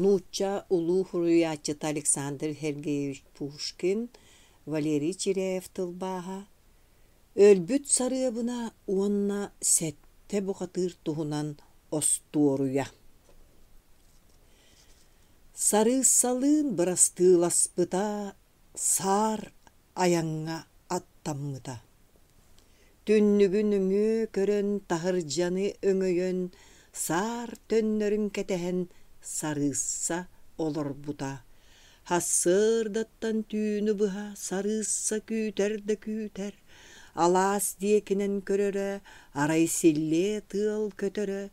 Нуучча улуу суруйааччыта Александр Сергеевич Пушкин, Валерий Чиряев тылбааһа, Өлбүт сарыабына уонна сэттэ бухатыыр туһунан остуоруйа Сарыыссалыын бырастыыласпыта, саар айаҥҥа аттаммыта. Түннүгү нөҥүө көрөн, таһырдьаны өҥөйөн, саар төннөрүн кэтэһэн сарыысса олорбута. Сарсыардаттан түүнү быһа сарыысса күүтэр да күүтэр, алаас диэкинэн көрөрө, арай силлиэ тыал көтөрө,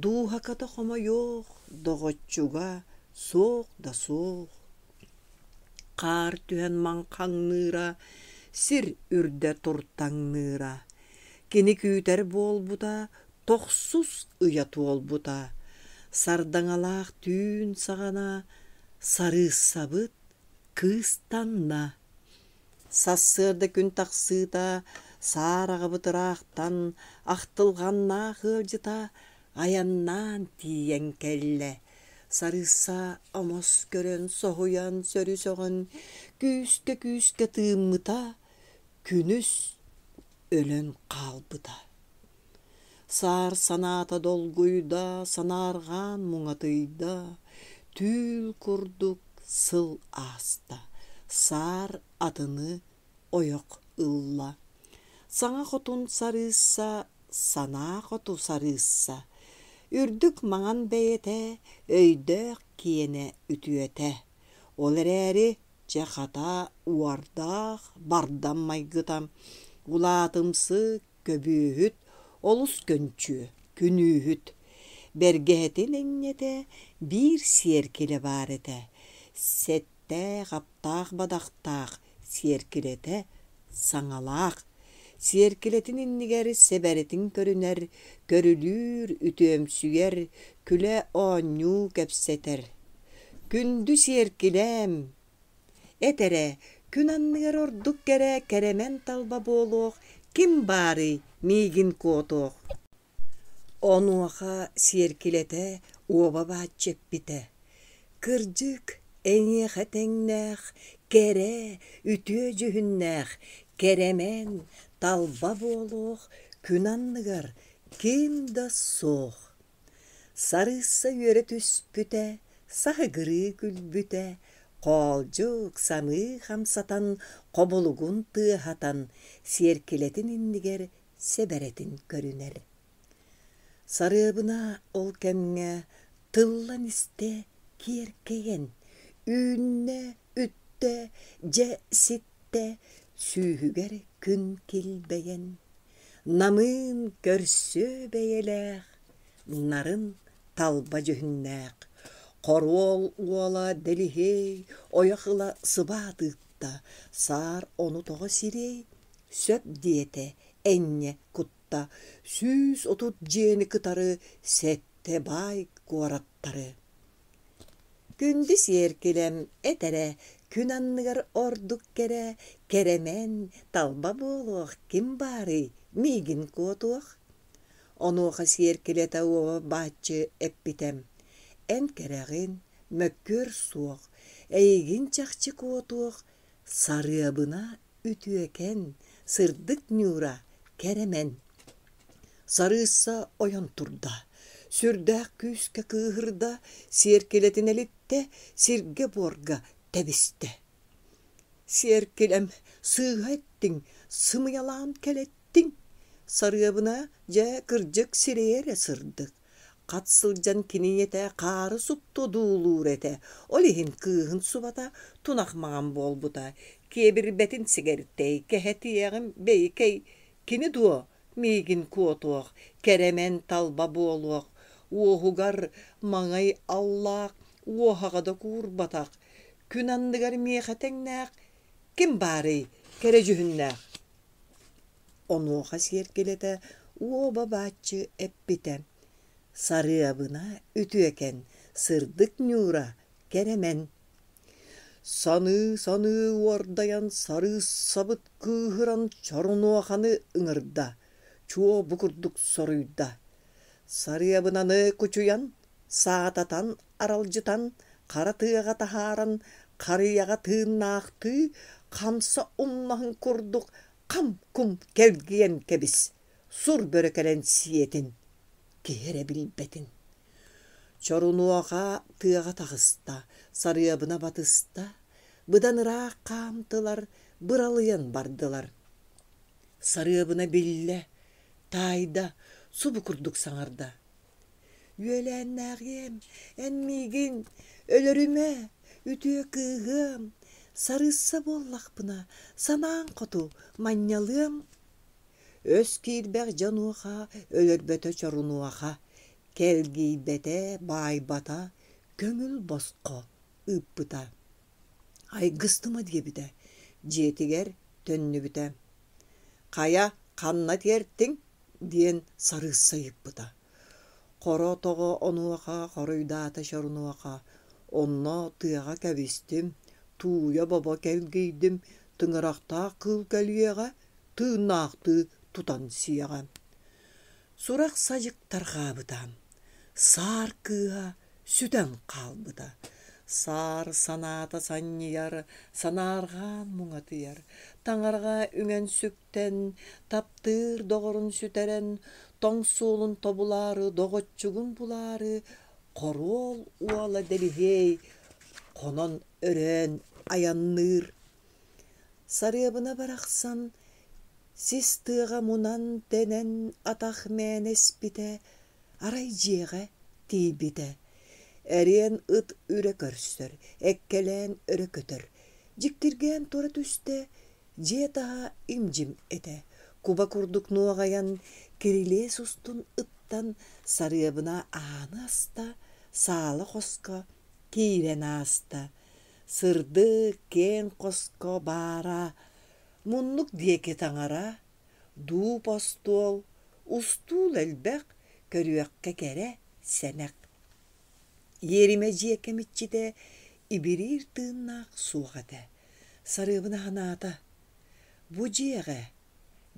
дууһаката хомойуох, доҕоччуга суох да суох. Хаар түһэн маҥхаҥныыра, сир үрдэ туртаҥныыра. Кини күүтэр буолбута, тохсус ыйа туолбута. Сардаҥалаах түүн саҕана сарыыссабыт кыыстанна. Сарсыарда күн тахсыыта саар аҕабыт ыраахтан ахтылҕаннаах ыалдьыта айаннаан тиийэн кэллэ. Сарыысса омос көрөн, соһуйан, сөрү-сөҕөн, күүскэ-күүскэ тыыммыта, күнүс өлөн хаалбыта. Саар санаата долгуйда, санаарҕаан муҥатыйда, түүл курдук сыл ааста, саар атыны ойох ылла. Саҥа хотун сарыысса, санаа хоту сарыысса, үрдүк маҥан бэйэтэ, өйдөөх киэнэ үтүөтэ. Ол эрээри чэ хата уордаах бардам майгыта, улаатымсык, көбүөһүт, олус көнчүө, күнүүһүт. Бэргэһэтин энньэтэ биир сиэркилэ баар этэ, сэттээх, аптаах бадахтаах сиэркилэтэ саҥалаах. Сиэркилэтин иннигэр сэбэрэтин көрүнэр, көрүлүүр, үтүөмсүйэр, күлэ-оонньуу кэпсэтэр. Күндү сиэркилээм, эт эрэ, күн анныгар ордук кэрэ кэрэмэн талба буолуох ким баарый миигин куотуох Онуоха сиэркилэтэ уоба бааччы эппитэ: «Кырдьык, эйиэхэ тэҥнээх, кэрэ, үтүө дьүһүннээх, кэрэмэн, талба буолуох күн анныгар ким да суох». Сарыысса үөрэ түспүтэ, саһыгырыы күлбүтэ, хоолдьук самыы хамсатан, хобулугун тыаһатан, сиэркилэтин иннигэр сэбэрэтин көрүнэр. Сарыабына ол кэмҥэ тыллан истэ киэркэйэн, үүннэ, үттэ, дьэ ситтэ, сүүһүгэр күн килбэйэн, намыын көрсүө бэйэлээх, нарын талба дьүһүннээх, хоруол уола Дэлиһиэй ойох ыла сыбаат ыытта, саар ону тоҕо сириэй, сөп диэтэ энньэ кутта 130 дьиэни кытары сэттэ баай куораттары. Күндү сиэркилэм эт эрэ күн анныгар ордук кэрэ, кэрэмэн, талба буолуох ким баарый, миигин куотуох? Онуоха сиэркилэтэ уоба бааччы эппитэ: «Эн кэрэҕин, мөккүөр суох, эйигин чахчы куотуох, сарыабына үтүөкэн, сырдык ньуура кэрэмэн. Сарыысса ойон турда, сүрдээх күүскэ кыыһырда, сиэркилэтин элиттэ, сиргэ-буорга тэбистэ. Сиэркилэм, сыыһа эттиҥ, сымыйалаан кэлэттиҥ. Сарыабына, дьэ, кырдьык сирэйэ эрэ сырдык. Хат сылдьан кини ийэтэ хаары супту одуулуур этэ, ол иһин кыыһын субата тунах маҥан буолбута, киэбирбэтин сигэртэй, кэһэтиэҕим бэйикэй, кини дуо миигин куотуох, кэрэмэн талба буолуох, уоһугар маҥай аллаах, уоһаҕа да куурбатах, күн анныгар миэхэ тэҥнээх ким баарый кэрэ дьүһүннээх Онуоха сиэркилэтэ уоба бааччы эппитэ: «Сарыабына үтүөкэн, сырдык ньуура кэрэмэн». Саныы-саныы уордайан сарыыссабыт кыыһыран чорунуоханы ыҥырда, чуо бу курдук соруйда: «Сарыабынаны кучуйан, Саататан, аралдьытан, хара тыаҕа таһааран, харыйаҕа тыыннаахтыы хамса умнаһын курдук хам-кум кэлгийэн кэбис, сур бөрө кэлэн сиэтин, киһи эрэ билбэтин. Чорунуоха тыаҕа таҕыста, сарыабына батыста, быдан ыраах хаамтылар, быралыйан бардылар. Сарыабына биллэ, таайда, субу курдук саҥарда: «Үөлээннээҕиэм, эн миигин өлөрүмэ, үтүө кыыһыам, сарыысса буоллахпына, санааҥ хоту манньалыам». Өс киирбэх дьонуоха өлөрбөтө чорунуоха, кэлгийбэтэ, баайбата, көҥүл босхо ыыппыта. Айгыстыма диэбитэ, дьиэтигэр төннүбүтэ. «Хайа, ханна тиэртиҥ?» диэн сарыысса ыйыппыта. Хоро тоҕо онуоха хоруйдаата Чорунуоха: «Онно тыаҕа кэбистим, тууйа-бобо кэлгийдим, тыҥырахтаах кыыл кэлиэҕэ, тыыннаахтыы тутан сиэҕэ». Сурах-садьык тарҕаабыта, саар кыыһа сүтэн хаалбыта. Саар санаата санньыйар, санаарҕаан муҥатыйар, таҥараҕа үҥэн-сүктэн, таптыыр доҕорун сүтэрэн, тоҥ суолун тобулаары, доҕоччугун булаары, хоруол уола Дэлиһиэй хонон өрөөн айанныыр. Сарыабына барахсан сис тыаҕа мунан-тэнэн атах мээнэ испитэ, арай дьиэҕэ тиийбитэ. Эриэн ыт үрэ көрсөр, эккэлээн өрө көтөр. Дьиктиргээн тура түстэ, дьиэ таһа им-дьим этэ. Куба курдук нуоҕайан, кирилиэс устун ыттан, сарыабына ааны аста, саала хоско киирэн ааста. Сырдык, киэҥ хоско баара муннук диэки таҥара, дууп остуол, устуул элбэх, көрүөххэ кэрэ, сэнэх. Иэримэ дьиэ кэмиччитэ ибириир тыыннаах суох этэ. Сарыабына санаата: бу дьиэҕэ,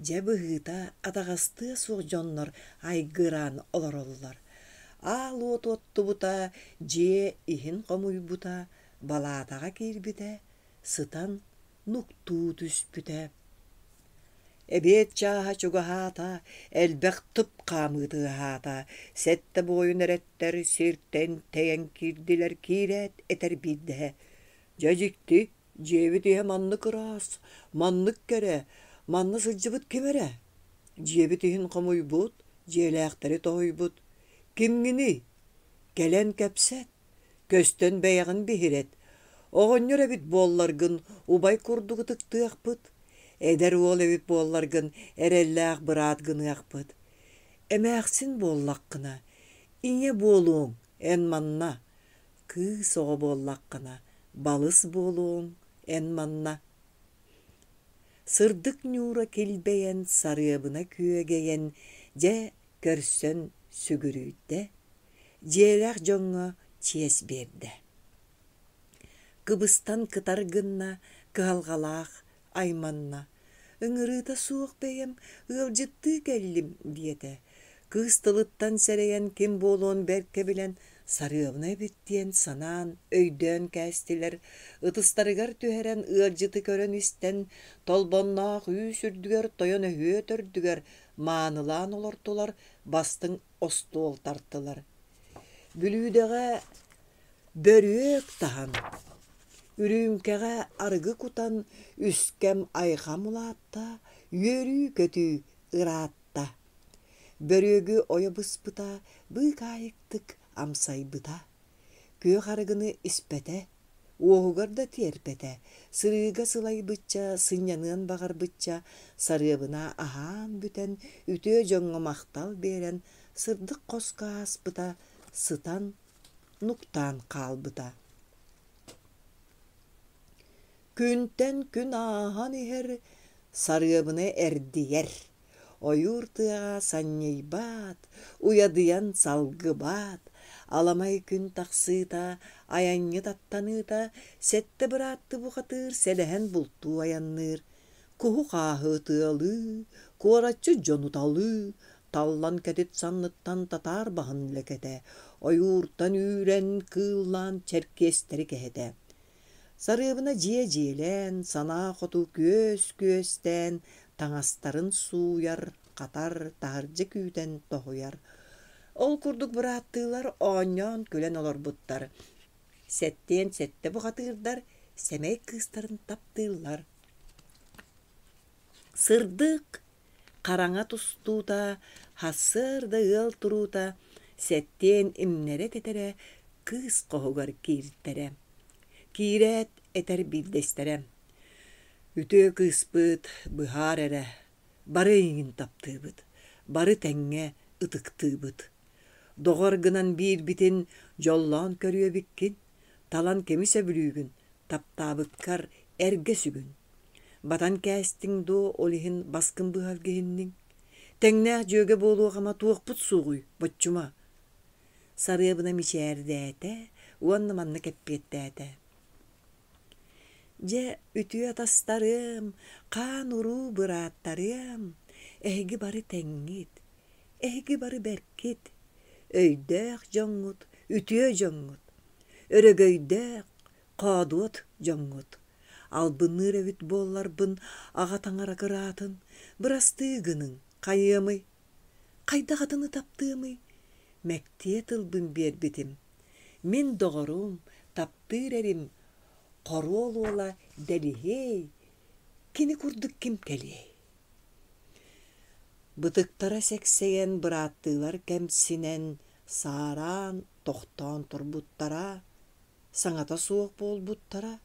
дьэ быһыыта, атаҕастыа суох дьоннор айгыраан олороллор. Аал уот оттубута, дьиэ иһин хомуйбута, балаатаҕа киирбитэ, сытан нуктуу түспүтэ. Эбиэт чааһа чугаһаата, элбэх тып хаамыы тыаһаата, сэттэ буойун эрэттэр сиртэн тэйэн киирдилэр, киирээт этэр биирдэһэ: «Дьэ дьикти, дьиэбит иһэ маннык ыраас, маннык кэрэ, манна сылдьыбыт ким эрэ? Дьиэбит иһин хомуйбут, дьиэлээхтэри тоһуйбут. Кимҥиний? Кэлэн кэпсэт, Көстөн бэйэҕин биһирэт, оҕонньор эбит буолларгын убай курдук ытыктыахпыт, эдэр уол эбит буолларгын эрэллээх быраат гыныахпыт. Эмээхсин буоллаххына, ийэ буолуоҥ эн манна, кыыс оҕо буоллаххына, балыс буолуоҥ эн манна. Сырдык ньуура килбэйэн, сарыабына күөгэйэн, дьэ көрсөн сүгүрүйдэ, дьиэлээх дьоҥҥо чиэс биэрдэ. Кыбыстан кытар гынна, кыһалҕалаах айманна: «Ыҥырыыта суох бэйэм ыалдьыттыы кэллим» диэтэ. Кыыс тылыттан сэрэйэн ким буолуон бэркэ билэн сарыабына эбит диэн санаан, өйдөөн кээстилэр, ытыстарыгар түһэрэн ыалдьыты көрөн-истэн, толбонноох үүс үрдүгэр тойон өһүө төрдүгэр маанылаан олортулар, бастыҥ остуол тартылар. Бүлүүдэҕэ бөрүөк таһан, үрүүмкэҕэ арыгы кутан үскэм айҕам улаатта, үөрүү-көтүү ыраатта. Бөрүөгү ойо быспыта, быыкаайыктык амсайбыта. Күөх арыгыны испэтэ, Уоһугар да тиэрпэтэ, сырыыга сылайбычча, сынньаныан баҕарбычча, сарыабына аһаан бүтэн, үтүө дьоҥҥо махтал биэрэн, сырдык хоско ааспыта, сытан, нуктаан хаалбыта. Күнтэн күн ааһан иһэр, сарыабына эрдийэр. Ойуур тыаҕа санньыйбат, уйадыйан салгыбат, аламай күн тахсыыта, айанньыт аттаныыта, сэттэ быраатты бухатыыр сэлэһэн бултуу айанныыр, куһу-хааһы ытыалыы, куораччыт дьону талыы, Таллан кэтит санныттан татаар баһын лэкэтэ, ойууртан үүрэн, кыыллаан чэркиэстэри кэһэтэ. Сарыабына дьиэ дьиэлээн, санаа хоту күөс күөстээн, таҥастарын сууйар, хатар, таһырдьа күүтэн тоһуйар. Ол курдук бырааттыылар оонньоон-күлэн олорбуттар. Сэттиэн сэттэ бухатыырдар сэмэй кыыстарын таптыыллар. Сырдык, хараҥа тустуута, сарсыарда ыал туруута, сэттиэн имнэрэ тэтэрэ кыыс хоһугар кииртэрэ. Киирээт этэр биирдэстэрэ: «Үтүө кыыспыт, быһаар эрэ, бары эйигин таптыыбыт, бары тэҥҥэ ытыктыыбыт. Доҕор гынан биирбитин дьоллоон көрүөбүккүн, талан кими сөбүлүүгүн, таптаабыккар эргэ сүгүн. Батан кээстиҥ дуо, ол иһин баскын быһалгиһинниҥ? Тэҥнээх дьүөгэ буолуох ама туохпут суоҕуй, боччума?» Сарыабына мичээрдээтэ уонна маннык эппиэттээтэ: «Дьэ, үтүө атастарыам, хаан-уруу бырааттарыам, эһиги бары тэҥҥит, эһиги бары бэркит, өйдөөх дьоҥҥут, үтүө дьоҥҥут, өрөгөйдөөх, хоодуот дьоҥҥут. Албынныыр эбит буолларбын, аҕа таҥара кыраатын, бырастыы гыныҥ, хайыамый? Хайдах атыны таптыамый? Мэктиэ тылбын биэрбитим. Мин доҕорум, таптыыр эрим, хоруол уола Дэлиһиэй, кини курдук ким кэлиэй? Бытыктара сэксэйэн бырааттыылар кэмсинэн, саараан, тохтоон турбуттара, саҥата суох буолбуттара.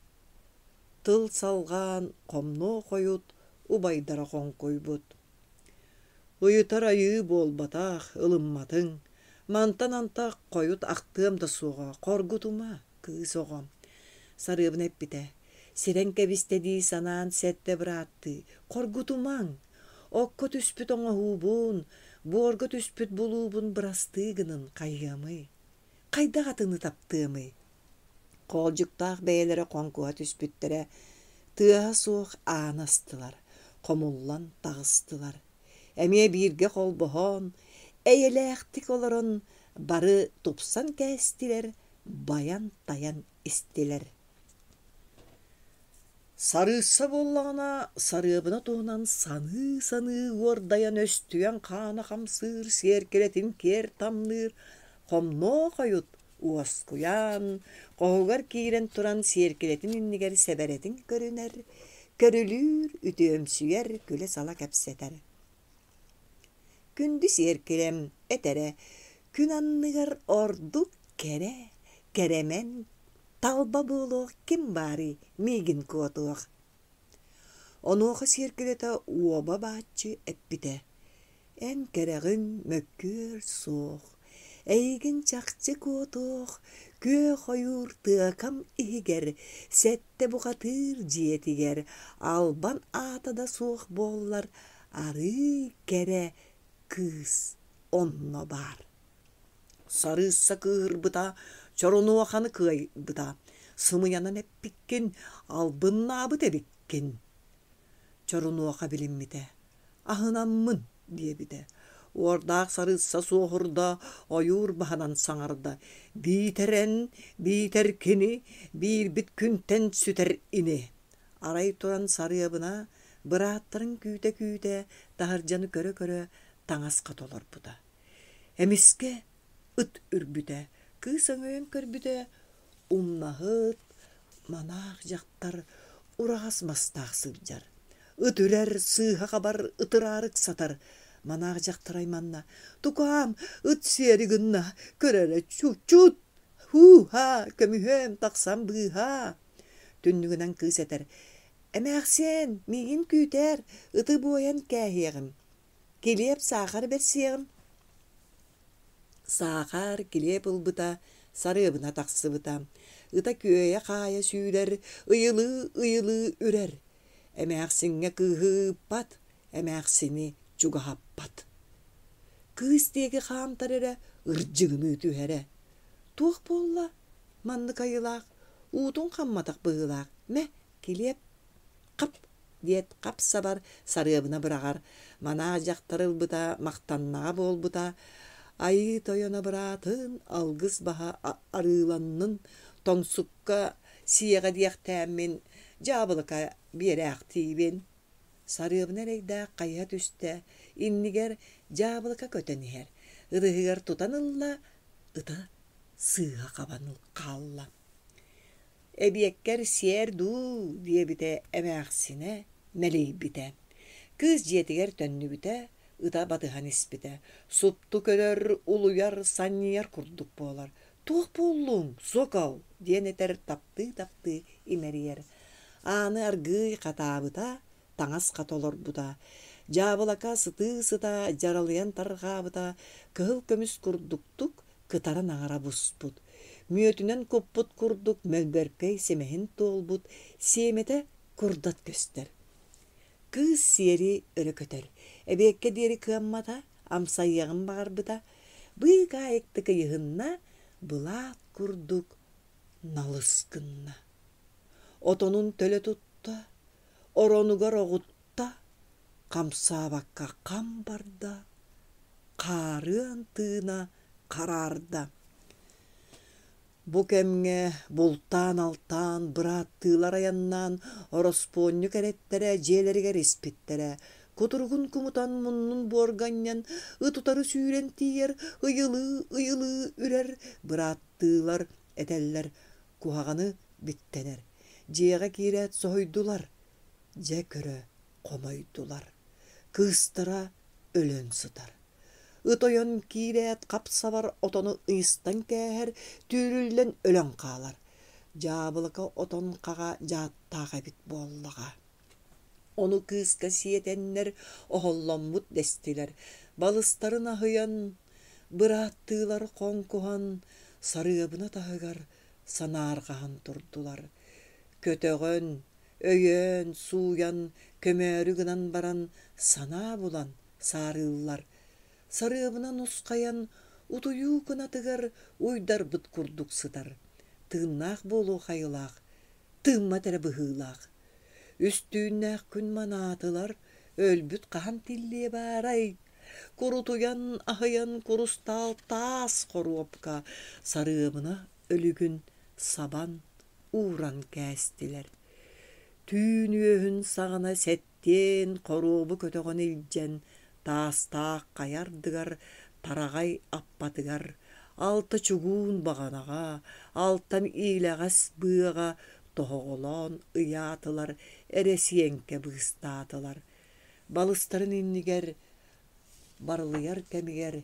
Тыл салҕаан хомнуо хойут убайдара хоҥкуйбут: «Ыйытар айыы буолбатах, ылымматыҥ, мантан антах хойут ахтыам да суоҕа, хоргутума, кыыс оҕом» Сарыабына эппитэ: «Сирэн кэбистэ дии санаан сэттэ бырааттыы, хоргутумаҥ, окко түспүт оҥоһуубун, буорга түспүт булуубун бырастыы гынын хайыамый, хайдах атыны таптыамый?» Хоолдьуктаах бэйэлэрэ хоҥкуһа түспүттэрэ, тыаһа суох ааны астылар, хомуллан таҕыстылар. Эмиэ бииргэ холбоһон, эйэлээхтик олорон бары тупсан кээстилэр, байан-тайан истилэр. Сарыысса буоллаҕына, сарыабына туһунан саныы-саныы уордайан өстүйэн хаана хамсыыр, сиэркилэтин киэр тамныыр, хомнуо хойут уоскуйан, хоһугар киирэн туран сиэркилэтин иннигэр сэбэрэтин көрүнэр, көрүлүүр, үтүөмсүйэр, күлэ-сала кэпсэтэр. Күндү сиэркилэм этэрэ күн анныгар ордук кэрэ, кэрэмэн, талба буолуох ким баарый миигин куотуох Онуоха сиэркилэтэ уоба бааччы эппитэ: «Эн кэрэҕин мөккүөр суох, эйигин чахчы куотуох, күөх ойуур тыакам иһигэр, сэттэ бухатыыр дьиэтигэр албан аата да суох буоллар, арыый кэрэ кыыс онно баар» Сарыысса кыыһырбыта, чорунуоханы кыайбыта, сымыйанан эппиккин, албыннаабыт эбиккин. Чорунуоха билиммитэ, аһынаммын диэбитэ. Уордаах сарыысса суоһурда, ойуур баһынан саҥарда: «Биитэр эн, биитэр кини, биирбит күнтэн сүтэр ини». Арай туран сарыабына, бырааттарын күүтэ-күүтэ, таһырдьаны көрө-көрө таҥас хата олорбута. Эмискэ ыт үрбүтэ, кыыс өҥөйөн көрбүтэ, умнаһыт, манаах дьахтар ураҕас мастаах сылдьар. Ыт үрэр, сыыһа хабар, ытыраары ыксатар. Манаах дьахтар айманна: «Тукаам, ыт сиэри гынна, көр эрэ, чут, һуу-һаа, көмүһүөм, тахсан быыһаа!» Түннүгүнэн кыыс этэр: «Эмээхсиэн, миигин күүтээр, ыты буойан кээһиэҕим» Килиэп саахар бэрсиэҕим Саахар килиэп ылбыта, сарыабына тахсыбыта. Ыта күөйэ-хаайа сүүрэр, ыйылыы-ыйылыы үрэр. Эмээхсиҥҥэ кыыһы ыыппат, эмээхсини чугаһаппат. Кыыс диэки хаамтар эрэ ырдьыгыныы түһэрэ. Туох буолла? Маннык айылаах, уутун хамматах быһыылаах. Мэ, килиэп, хап! диэт хап-сабар Сарыабына быраҕар. Манаах дьахтар ылбыта махтаннаҕа буолбута. Айыы тойоно быраатын алгыс баһа арыыланнын, тоҥсукка сиэҕэ диэхтээммин дьаабылыка биэрээхтиибин. Сарыабына эрэйдээх хайыһа түстэ, иннигэр дьаабылыка көтөн иһэр. Ытыһыгар тутан ылла, ыта сыыһа хабан хаалла. Эбиэккэр сиэр дуу диэбитэ эмээхсинэ мэлийбитэ. Кыыс дьиэтигэр төннүбүтэ, ыта батыһан испитэ. Супту көрөр, улуйар, санньыйар курдук буолар. «Туох буоллуҥ, сокол?» диэн этэр таптыы-таптыы имэрийэр. Ааны аргыый хатаабыта, таҥас хата олорбута. Дьаабылака сытыы-сыта дьаралыйан тарҕаабыта, кыһыл көмүс курдуктук кытаран аҥара буспут. Мүөтүнэн куппут курдук мөлбөркөй симэһин туолбут, сиэмэтэ курдат көстөр. Кыыс сиэри өрө көтөр. Эбиэккэ диэри кыаммата, амсайыаҕын баҕарбыта. Быыкаайыктык ыйыһынна, былаат курдук налыс гынна. Отонун төлө тутта, оронугар оҕутта, хамсаабакка хам барда, хаарыан тыына хараарда. Бу кэмҥэ бултаан-алтаан, бырааттыылар айаннаан, ороспуонньук эрэттэрэ дьиэлэригэр испиттэрэ. Кутуругун кумутан, муннун буорга анньан, ыт утары сүүрэн тиийэр, ыйылыы-ыйылыы үрэр, бырааттыылар этэллэр, куһаҕаны биттэнэр. Дьиэҕэ киирээт соһуйдулар, дьэ көрө хомойдулар. Кыыстара өлөн сытар. Ыт ойон киирээт хап-сабар отону ыйыстан кээһэр, түүрүллэн өлөн хаалар. Дьаабылыка отон хаҕа дьааттаах эбит буоллаҕа. Ону кыыска сиэтэннэр оһолломмут дэстилэр. Балыстарын аһыйан, бырааттыылар хоҥкуһан, Сарыабына таһыгар санаарҕаһан турдулар. Көтөҕөн, өйөөн, сууйан, көмөөрү гынан баран санаа булан саарыыллар. Сарыабына нусхайан, утуйуу кынатыгар уйдарбыт курдук сытар. Тыыннаах буолуох айылаах, тыыммат эрэ быһыылаах. Үс түүннээх күн манаатылар, өлбүт хаһан тиллиэ баарай? Курутуйан, аһыйан курустаал таас хоруопка Сарыабына өлүгүн сабан ууран кээстилэр. Түүн үөһүн саҕана сэттиэн хоруобу көтөҕөн илдьэн, таастаах хайа ардыгар, тараҕай аппатыгар, алта чугуун баҕанаҕа, алтан иилэҕэс быаҕа тоһоҕолоон ыйаатылар, эрэсиэҥкэ быыстаатылар. Балыстарын иннигэр барылыйар кэмигэр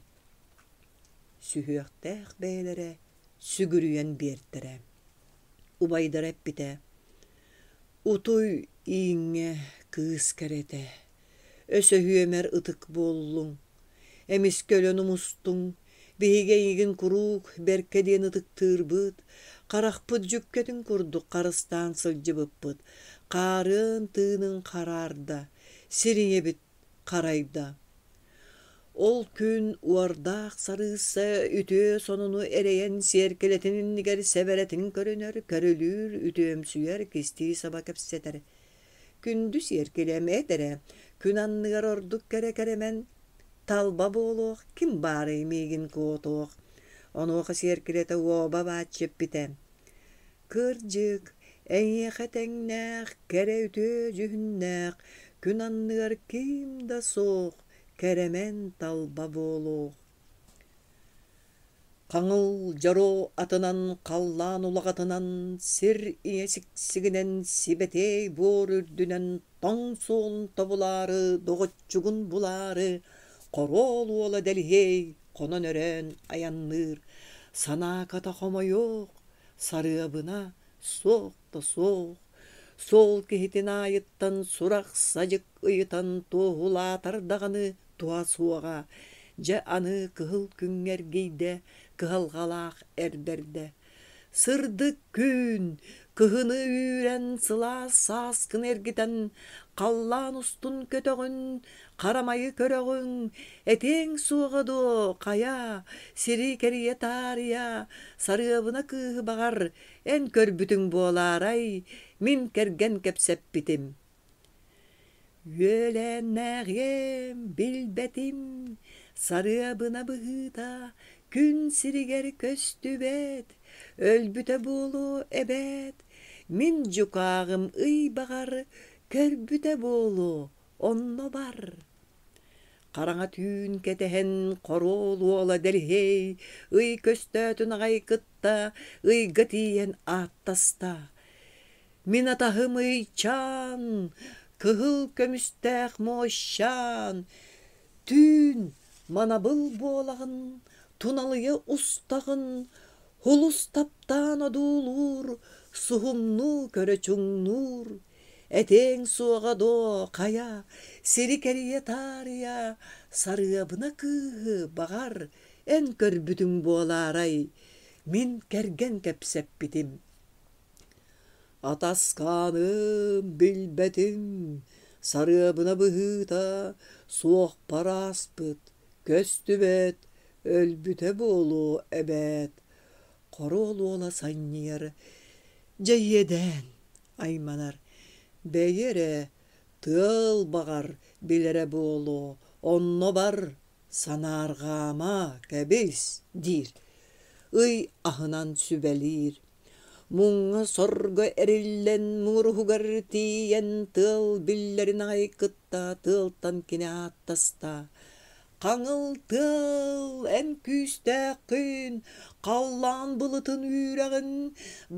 сүһүөхтээх бэйэлэрэ сүгүрүйэн биэртэрэ. Убайдара эппитэ: «Утуй ииҥҥэ кыыс кэрэтэ, өсөһүөмэр ытык буоллуҥ, эмискэ өлөн умустуҥ, биһиги эйигин куруук бэркэ диэн ытыктыырбыт, харахпыт дьүккэтин курдук харыстаан сылдьыбыппыт, хаарыан тыыныҥ хараарда, сир ийэбит харайда. Ол күн уордаах сарыысса үтүө сонуну эрэйэн сиэркилэтин иннигэр сэбэрэтин көрүнэр, көрүлүүр, үтүөмсүйэр, кистии саба кэпсэтэр. Күндү сиэркилэм эт эрэ, күн анныгар ордук кэрэ кэрэмэн, талба буолуох, ким баарый миигин куотуох. Онуоха сиэркилэтэ уоба бааччы эппитэ: Кырдьык, эйиэхэ тэҥнээх, кэрэ үтүө дьүһүннээх, күн анныгар ким да суох, кэрэмэн талба буолуох. Хаҥыл дьоро атынан, халлаан улаҕатынан, сир ийэ сиксигинэн, сибэтиэй буор үрдүнэн тоҥ суолун тобулаары, доҕоччугун булаары, хоруол уола Дэлиһиэй хонон-өрөөн айанныыр, санааката хомойуох, Сарыабына суох да суох, суол киһитин аайыттан сурах-садьык ыйытан туоһулаатар даҕаны туһа суоҕа, дьэ аны кыһыл күҥҥэ эргийдэ, кыһалҕалаах эр бэрдэ. Сырдык күн, кыһыны үүрэн, сылаас сааскыны эргитэн, халлаан устун көтөҕүн, харамайы көрөҕүҥ, этиэҥ суоҕа дуо, хайа, сири кэрийэ таарыйа, Сарыабына кыыһы баҕар, эн көрбүтүҥ буолаарай, мин кэргэн кэпсэппитим. Үөлээннээҕиэм, билбэтим, сарыабына быһыыта күн сиригэр көстүбэт, өлбүтэ буолуо эбээт, мин дьукааҕым ый баҕар көрбүтэ буолуо, онно бар. Хараҥа түүн кэтэһэн хоруол уола Дэлиһиэй ый көстөөтүн аҕай кытта ыйга тиийэн ааттаста: «Мин атаһым Ыйчаан, кыһыл көмүстээх муощаан, түүн манабыл буолаҕын, туналыйа устаҕын, Һулус таптаан одуулуур, суһумнуу көрө чуҥнуур, Этиэҥ суоҕа дуо, хайа, сири кэрийэ таарыйа, Сарыабына кыыһы, баҕар, эн көрбүтүҥ буолаарай, мин кэргэн кэпсэппитим. Атаскааным, билбэтим, сарыабына быһыыта суохпар ааспыт, көстүбэт, өлбүтэ буолуо эбээт. Хоруол уола санньыйар, дьэ иэдээн айманар, бэйи эрэ, тыал баҕар билэрэ буолуо, онно бар, санаарҕаама, кэбис диир, ый аһынан сүбэлиир. Муҥҥа-сорго эриллэн муҥуруһугар тиийэн тыал биллэрин аҕай кытта тыалтан кини ааттаста: «Хаҥыл тыал, эн күүстээххин, халлаан былытын үүрэҕин,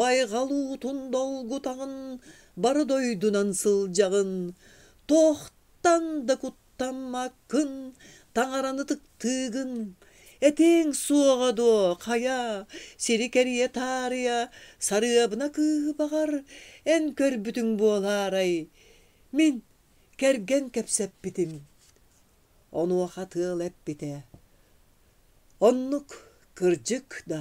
байҕал уутун долгутаҕын, бары дойдунан сылдьаҕын, туохтан да куттаммаккын, таҥараны ытыктыыгын, этиэҥ суоҕа дуо, хайа, сири кэрийэ таарыйа, сарыабына кыыһы баҕар, эн көрбүтүҥ буолаарай, мин кэргэн кэпсэппитим Онуоха тыал эппитэ: «Оннук кырдьык да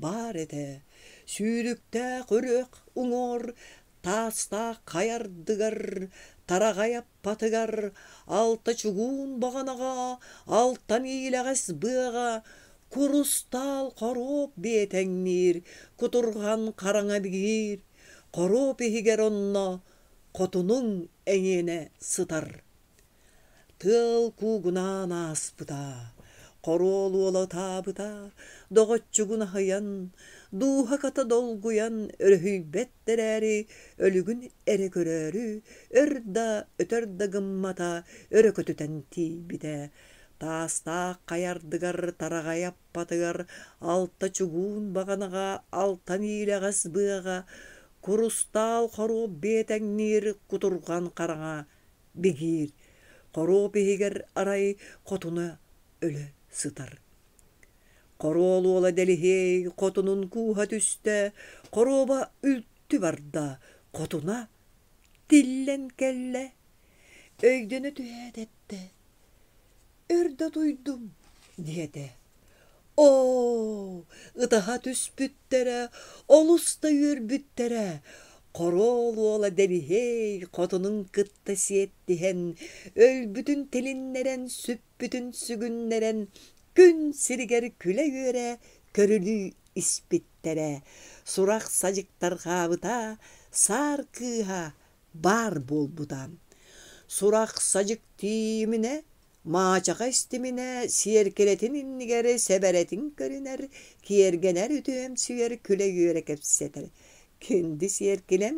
баар этэ, сүүрүктээх үрэх уҥуор, таастаах хайа ардыгар, тараҕай аппатыгар, алта чугуун баҕанаҕа, алтан иилэҕэс быаҕа, курустаал хоруоп биэтэҥниир, кутурҕан хараҥа бигиир, хоруоп иһигэр онно хотунуҥ эйиэнэ сытар» Тыал куугунаан ааспыта, хоруол уола ытаабыта, доҕоччугун аһыйан, дууһа хата долгуйан өрүһүйбэт эрээри, өлүгүн эрэ көрөөрү, өр да, өтөр да гыммата өрө көтүтэн тиийбитэ. Таастаах хайа ардыгар тараҕай аппатыгар алта чугуун баҕанаҕа алтан иилэҕэс быаҕа курустаал хоруоп биэтэҥниир кутурҕан хараҥа бигиир, хоруоп иһигэр арай хотуна өлө сытар. Хоруол уола Дэлиһиэй хотунун кууһа түстэ, хоруоба үлтү барда, хотуна тиллэн кэллэ. Өйдөнө түһээт эттэ: «Өр да утуйдум» диэтэ. Оо, ытаһа түспүттэрэ, олус да үөрбүттэрэ. Хоруол уола Дэлиһиэй хотунун кытта сиэттиһэн, өлбүтүн тилиннэрэн, сүппүтүн сүгүннэрэн, күн сиригэр күлэ-үөрэ көрүлүү испиттэрэ. Сурах-садьык тарҕаабыта, саар кыыһа баар буолбута. Сурах-садьык тиийиминэ, Маачаха истиминэ, сиэркилэтин иннигэр сэбэрэтин көрүнэр, киэргэнэр үтүөмсүйэр күлэ-үөрэ кэпсэтэр. Күндү сиэркилэм,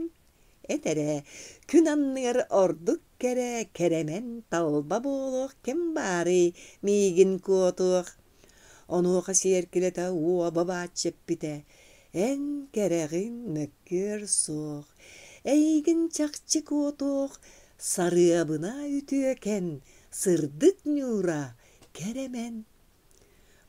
эт эрэ, күн анныгар ордук кэрэ, кэрэмэн, талба буолуох ким баарый, миигин куотуох Онуоха сиэркилэтэ уоба бааччы эппитэ: «Эн кэрэҕин мөккүөр суох, эйигин чахчы куотуох, сарыабына үтүөкэн, сырдык ньуура кэрэмэн».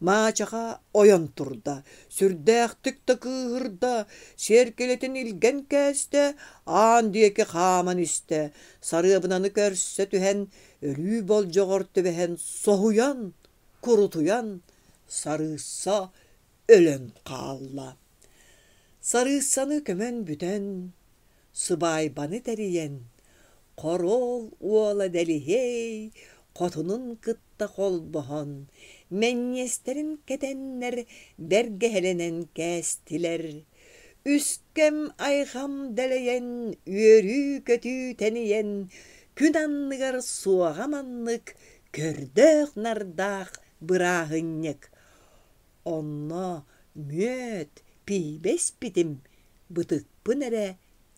Маачаха ойон турда, сүрдээхтик да кыыһырда, сиэркилэтин илгэн кээстэ, аан диэки хааман истэ, сарыабынаны көрсө түһэн, өлүү болдьоҕор түбэһэн соһуйан курутуйан сарыысса өлөн хаалла. Сарыыссаны көмөн бүтэн, сыбаайбаны тэрийэн, хоруол уола Дэлиһиэй хотунун кытта холбоһон, мэнньиэстэрин кэтэннэр бэргэһэлэнэн кээстилэр. Үскэм айхам дэлэйэн, үөрүү-көтүү тэнийэн, Күн анныгар суоҕа маннык көрдөөх-нардаах бырааһынньык. Онно мүөт, пиибэ испитим, бытыкпын эрэ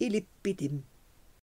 илиппитим.